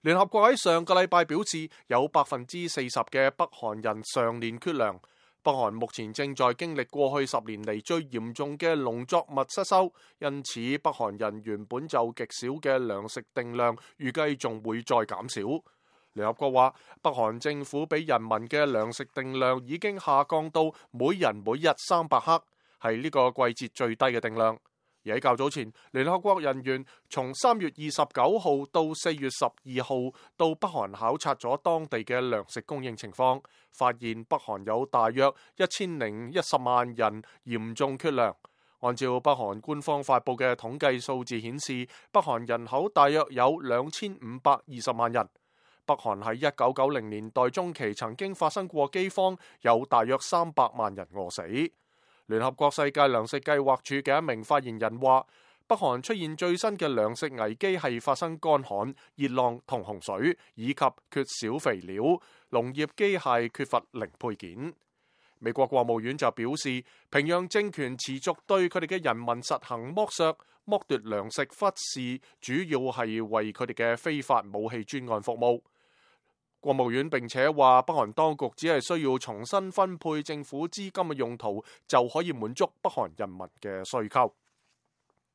聯合國喺上個禮拜表示，有40%嘅北韓人常年缺糧。北韓目前正在經歷過去10年嚟最嚴重嘅農作物失收，因此北韓人原本就極少嘅糧食定量，預計仲會再減少。聯合國話，北韓政府俾人民嘅糧食定量已經下降到每人每日300克，係呢個季節最低嘅定量。而喺較早前，聯合國人員從3月29號到4月12號到北韓考察咗當地嘅糧食供應情況，發現北韓有大約1010萬人嚴重缺糧。按照北韓官方發布嘅統計數字顯示，北韓人口大約有2520萬人。北韓喺1990年代中期曾經發生過饑荒，有大約300萬人餓死。聯合國世界糧食計劃署嘅一名發言人話，北韓出現最新嘅糧食危機係發生乾旱、熱浪同洪水，以及缺少肥料、農業機械缺乏零配件。美國國務院就表示，平壤政權持續對佢哋嘅人民實行剝削、剝奪糧食，忽視主要係為佢哋嘅非法武器專案服務。國務院並且話，北韓當局只係需要重新分配政府資金嘅用途，就可以滿足北韓人民嘅需求。